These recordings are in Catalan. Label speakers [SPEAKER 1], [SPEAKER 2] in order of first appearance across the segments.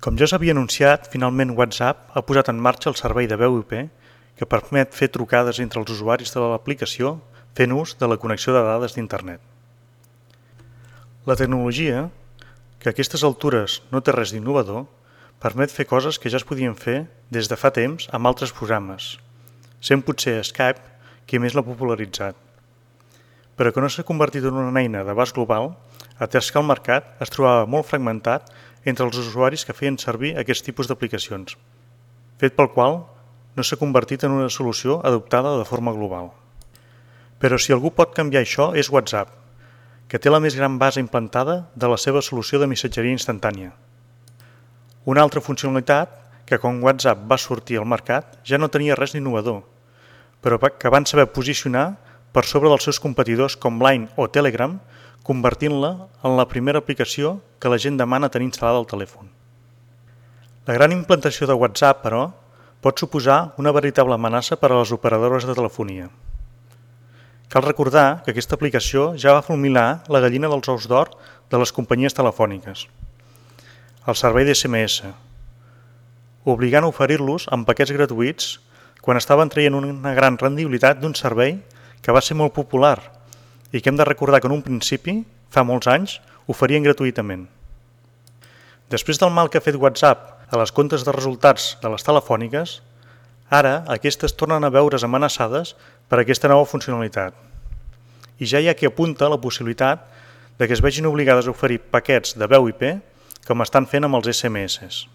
[SPEAKER 1] Com ja s'havia anunciat, finalment WhatsApp ha posat en marxa el servei de veu IP que permet fer trucades entre els usuaris de l'aplicació fent ús de la connexió de dades d'Internet. La tecnologia, que a aquestes altures no té res d'innovador, permet fer coses que ja es podien fer des de fa temps amb altres programes, sent potser Skype qui més l'ha popularitzat, però que no s'ha convertit en una eina d'abast global, atès que el mercat es trobava molt fragmentat entre els usuaris que feien servir aquest tipus d'aplicacions, fet pel qual no s'ha convertit en una solució adoptada de forma global. Però si algú pot canviar això és WhatsApp, que té la més gran base implantada de la seva solució de missatgeria instantània. Una altra funcionalitat que quan WhatsApp va sortir al mercat ja no tenia res d'innovador, però que van saber posicionar per sobre dels seus competidors com Line o Telegram, convertint-la en la primera aplicació que la gent demana tenir instal·lada al telèfon. La gran implantació de WhatsApp, però, pot suposar una veritable amenaça per a les operadores de telefonia. Cal recordar que aquesta aplicació ja va fulminar la gallina dels ous d'or de les companyies telefòniques, el servei d'SMS, obligant a oferir-los amb paquets gratuïts quan estaven traient una gran rendibilitat d'un servei que va ser molt popular i que hem de recordar que en un principi, fa molts anys, oferien gratuïtament. Després del mal que ha fet WhatsApp a les comptes de resultats de les telefòniques, ara aquestes tornen a veure's amenaçades per aquesta nova funcionalitat. I ja hi ha qui apunta la possibilitat de que es vegin obligades a oferir paquets de veu IP com estan fent amb els SMS.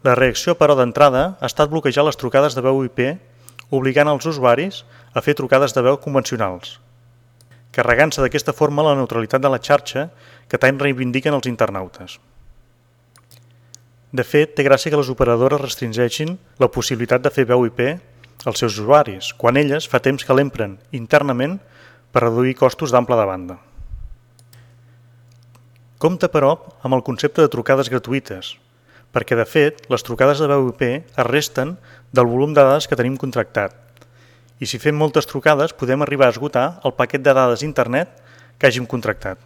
[SPEAKER 1] La reacció, però, d'entrada ha estat bloquejar les trucades de veu IP obligant els usuaris a fer trucades de veu convencionals, carregant-se d'aquesta forma la neutralitat de la xarxa que tant reivindiquen els internautes. De fet, té gràcia que les operadores restringeixin la possibilitat de fer veu IP als seus usuaris, quan elles fa temps que l'empren internament per reduir costos d'ample de banda. Compte, però, amb el concepte de trucades gratuïtes, perquè, de fet, les trucades de veu IP es resten del volum de dades que tenim contractat, i si fem moltes trucades podem arribar a esgotar el paquet de dades d'internet que hàgim contractat.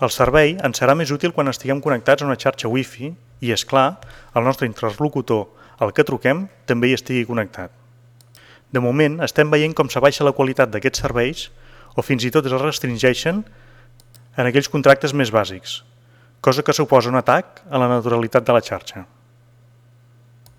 [SPEAKER 1] El servei ens serà més útil quan estiguem connectats a una xarxa Wi-Fi i, és clar, el nostre interlocutor al que truquem també hi estigui connectat. De moment estem veient com s'abaixa la qualitat d'aquests serveis o fins i tot es restringeixen en aquells contractes més bàsics, cosa que suposa un atac a la naturalitat de la xarxa.